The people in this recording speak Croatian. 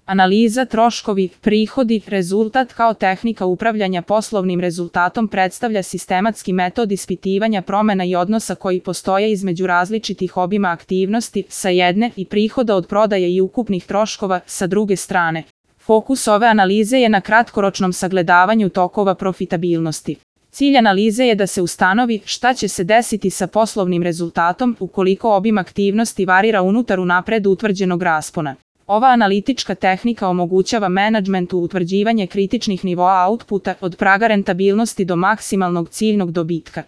Analiza, troškovi, prihodi, rezultat kao tehnika upravljanja poslovnim rezultatom predstavlja sistematski metod ispitivanja promena i odnosa koji postoje između različitih obima aktivnosti sa jedne i prihoda od prodaje i ukupnih troškova sa druge strane. Fokus ove analize je na kratkoročnom sagledavanju tokova profitabilnosti. Cilj analize je da se ustanovi šta će se desiti sa poslovnim rezultatom ukoliko obim aktivnosti varira unutar unapred utvrđenog raspona. Ova analitička tehnika omogućava menadžmentu utvrđivanje kritičnih nivoa outputa od praga rentabilnosti do maksimalnog ciljnog dobitka.